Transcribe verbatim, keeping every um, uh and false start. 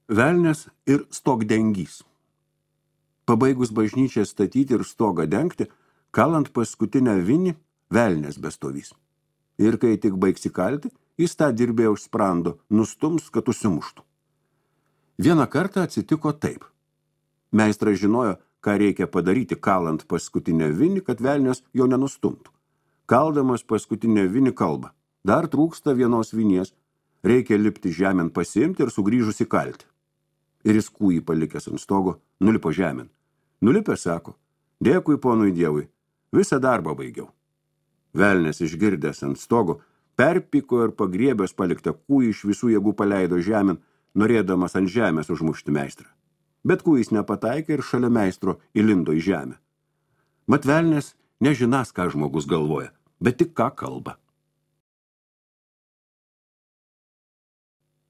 Velnias ir stogdengys. Pabaigus bažnyčią statyti ir stogą dengti, kalant paskutinę vinį, velnias bestovys. Ir kai tik baigsi kalti, jis tą dirbėją už sprando, nustums, kad užsimuštų. Vieną kartą atsitiko taip. Meistras žinojo, ką reikia padaryti kalant paskutinę vinį, kad velnias jo nenustumtų. Kaldamas paskutinę vinį kalba. Dar trūksta vienos vinies, reikia lipti žemėn pasiimti ir sugrįžus įkalti. Ir jis kūjį palikęs ant stogo, nulipo žemėn. Nulipęs sako, dėkui ponui Dievui, visą darbą baigiau. Velnias išgirdęs ant stogo, perpiko ir pagriebęs paliktą kūjį iš visų jėgų paleido žemėn, norėdamas ant žemės užmušti meistrą. Bet kūjis nepataikė ir šalia meistro įlindo į žemę. Mat velnias nežinas, ką žmogus galvoja, bet tik ką kalba.